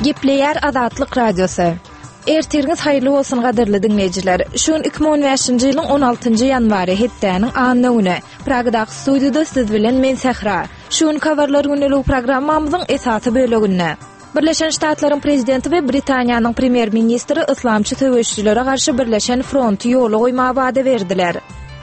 Gepleýär Azatlyk Radiosy. Ertiriňiz haýyrly bolsun gadyrly diňleýjiler. Şu gün 2015-nji ýylyň 16-njy ýanwary, hepdäniň anna güni. Pragadaky studiýada siz bilen men Sähra. Şu günki habarlar gündeligi programmamyzyň esasy böleginde. Birleşen Ştatlaryň prezidenti we Britaniýanyň premýer-ministri yslamçy söweşijilere garşy birleşen fronty ýola goýmaga wada berdiler.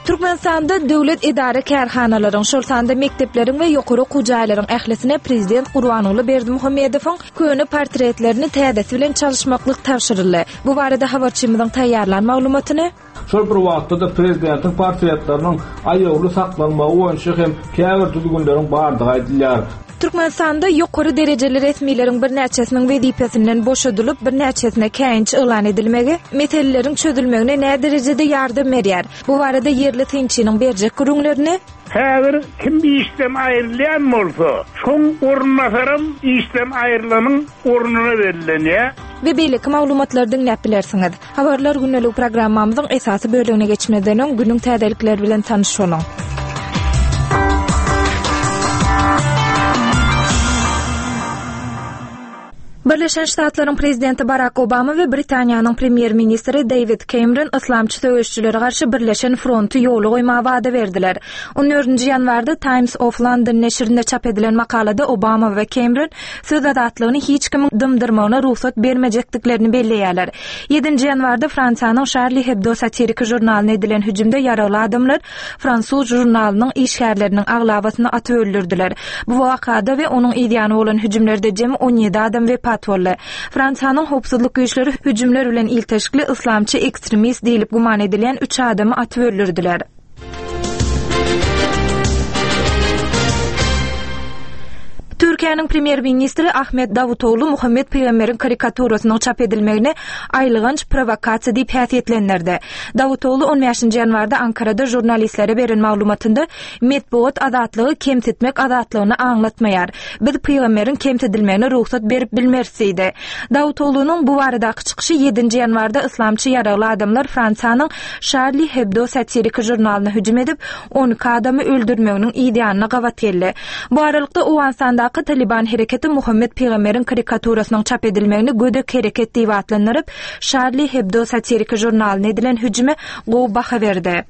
Türkmenistanda döwlet edara-kärhanalaryň, şol sanda mekdepleriň we ýokary okuw jaýlaryň ählisine prezident Gurbanguly Berdimuhamedowyň köne portretlerini täzesi bilen çalyşmaklyk tabşyryldy. Bu barada habarçymyzyň taýýarlan maglumatyny Şol bir wagtda-da prezidentiň portretleriniň aýawly saklanmagy boýunça hem käbir düzgünleriň bardygy aýdylýar. Türkmenistanda ýokary derejeli resmileriň birnäçesiniň wezipesinden boşadylyp, birnäçesine käýinç yglan edilmegi meseleleriň çözülmegine näderejede ýardam berýär? Bu barada ýerli synçynyň berjek gürrüňlerini. Häzir kim işden aýrylýan bolsa, şoň orunbasaram işden aýrylanyň ornuna bellenýär. We beýleki maglumatlary diňläp bilersiňiz. Habarlar gündelik programmamyzyň esasy bölegine geçmezden öň günüň täzelikleri bilen tanyş boluň. Birleşen Ştatlaryň prezidenti Barak Obama we Britaniýanyň premýer-ministri Deýwid Kemron yslamçy söweşijilere garşy birleşen fronty ýola goýmaga wada berdiler. On dördünji ýanwarda Times of London neşirinde çap edilen makalada Obama we Kemron söz azatlygyny hiç kimiň dymdyrmagyna rugsat bermejekdiklerini belleýärler. Ýedinji ýanwarda Fransiýanyň Şarli Hebdo satiriki žurnalyna edilen hüjümde ýaragly adamlar fransuz žurnalynyň işgärleriniň aglabasyny atyp öldürdiler. Bu wakada we onuň yzýany bolan hüjümlerde jemi 17 adam wepat boldy. Fransiýanyň howpsuzlyk güýçleri hüjümler bilen ilteşikli yslamçy ekstremist diýlip güman edilýän üç adamy atyp öldürdiler. Türkiýäniň premýer-ministri Ahmet Dawutoglu Muhammet pygamberiň karikaturasynyň çap edilmegini aýylganç prowokasiýa diýip häsiýetlendirdi. Dawutoglu on bäşinji ýanwarda Ankarada žurnalistlere beren maglumatynda Metbugat azatlygy kemsitmek azatlygyny aňlatmaýar. Biz pygamberiň kemsidilmegine rugsat berip bilmeris diýdi. Dawutoglunyň bu baradaky çykyşy ýedinji ýanwarda yslamçy ýaragly adamlar Fransiýanyň Şarli Hebdo satiriki žurnalyna hüjüm edip, 12 adamy öldürmeginiň yz ýanyna gabat geldi. Bu aralykda, Owganystandaky Talyban hereketi Muhammet pygamberiň karikaturasynyň çap edilmegini gödek hereket diýip atlandyryp, Şarli Hebdo satiriki žurnalyna edilen hüjüme gowy baha berdi.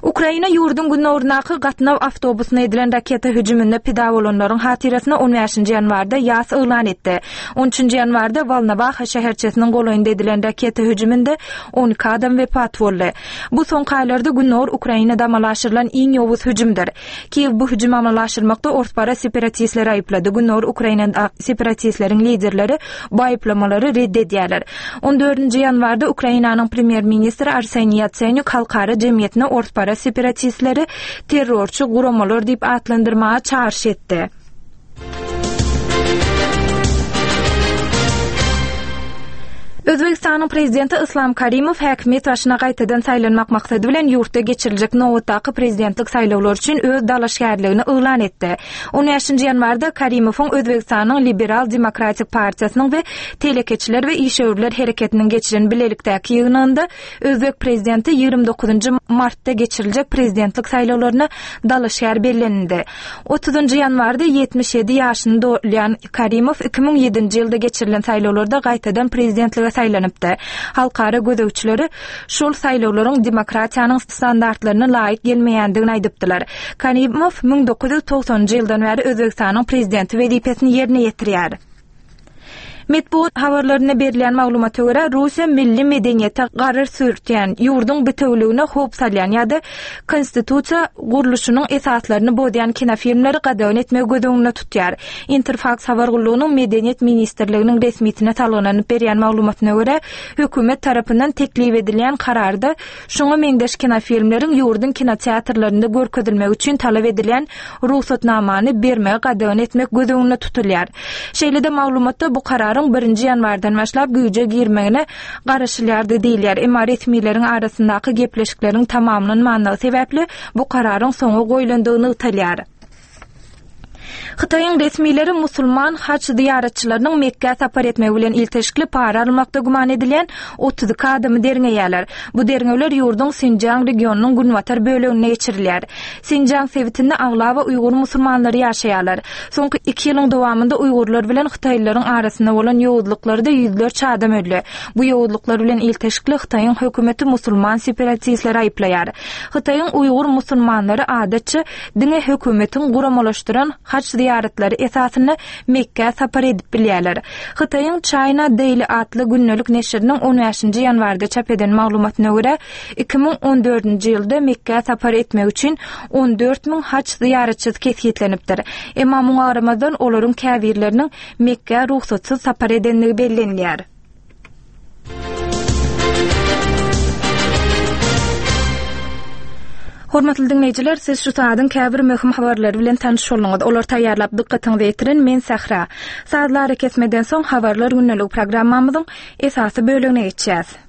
Ukraina ýurduň günoryndaky gatnaw awtobusyna edilen raketa hüjüminde pida bolanlaryň hatyrasyna on bäşinji ýanwarda ýas yglan etdi. On üçünji ýanwarda Wolnowaha şäherçesiniň golaýynda edilen raketa hüjüminde 12 adam wepat boldy. Bu soňky aýlarda gündogar Ukrainada amala aşyrylan iň ýowuz hüjümdir. Kiýew bu hüjümi amala aşyrmakda orsparaz separatistleri aýyplady. Gündogar Ukrainada separatistleriň liderleri bu aýyplamalary red edýärler. On dördünji ýanwarda Ukrainanyň premýer-ministri Arseniý Ýatsenýuk halkara jemgyýetine orsparaz separatistleri terrorçy guramalar diýip atlandyrmaga çagyryş etdi. Özbegistanyň prezidenti Yslam Karimow häkimiýet başyna gaýtadan saýlanmak maksady bilen ýurtda geçiriljek nobatdaky prezidentlik saýlawlary üçin öz dalaşgärligini yglan etdi. On bäşinji ýanwarda Karimowyň Özbegistanyň Liberal demokratik partiýasynyň we Telekeçiler we işewürler hereketiniň geçiren bilelikdäki ýygnagynda Özbek prezidenti 29-njy martda geçiriljek prezidentlik saýlawlaryna dalaşgär bellenildi. Otuzynjy ýanwarda 77 ýaşyny dolýan Karimow 2007-nji ýylda geçirilen saýlawlarda gaýtadan prezidentlige saýlanypdy. Halkara gözegçileri şol saýlawlaryň demokratiýanyň standartlaryna laýyk gelmeýändigini aýdypdylar. Karimow 1990-njy ýyldan bäri Özbegistanyň prezidenti wezipesini ýerine ýetirýär. Metbugat habarlarynda berilýän maglumata görä, Russiýa milli medeniýete garyr sürtýän, ýurduň bitewüligine howp salýan ýa-da konstitusiýa gurluşynyň esaslaryny bozýan kinofilmleri gadagan etmegi göz öňünde tutýar. Interfaks habar gullugynyň Medeniýet ministrliginiň resmisine salgylanyp berýän maglumatyna görä, hökümet tarapyndan teklip edilýän kararda şuňa meňzeş kinofilmleriň ýurduň kinoteatrlarynda görkezilmegi üçin talap edilýän rugsatnamany bermegi gadagan etmek göz öňünde tutulýar. Şeýle-de maglumatda bu kararyň birinji ýanwardan başlap güýje girmegine garaşylýardy diýilýär. Emma resmileriň arasyndaky gepleşikleriň tamamlanmanlygy sebäpli bu kararyň soňa goýlandygy nygtalýar. Hytaýyň resmileri musulman haç zyýaratçylarynyň Mekgä sapar etmegi bilen ilteşikli para almakda güman edilýän 32 adamy derňeýärler. Bu derňewler ýurduň Sinjiang regionynyň günbatar böleginde geçirilýär. Sinjiang sebitinde aglaba uýgur musulmanlary ýaşaýarlar. Soňky iki ýylyň dowamynda uýgurlar bilen hytaýlylaryň arasynda bolan ýowuzlyklarda ýüzlerçe adam öldi. Bu ýowuzlyklar bilen ilteşikli Hytaýyň hökümeti musulman separatistleri aýyplaýar. Hytaýyň uýgur musulmanlary adatça diňe hökümetiň guramalaşdyran haç zyýaratlary esasynda Mekgä sapar edip bilýärler. Hytaýyň China Daily atly gündelik neşiriniň on bäşinji ýanwarda çap eden maglumatyna görä, 2014-nji ýylda Mekgä sapar etmek üçin 14 müň haç zyýaratçysy kesgitlenipdir. Emma muňa garamazdan, olaryň käbirleriniň Mekgä rugsatsyz sapar edendigi bellenilýär. Hormatly diňleýjiler, siz şu saadyň käbir möhüm habarlary bilen tanyş bolduňyz. Olary taýýarlap dykgatyňyza ýetiren men Sähra. Sazly arakesmeden soň Habarlar gündeligi programmamyzyň esasy bölegine geçýäs.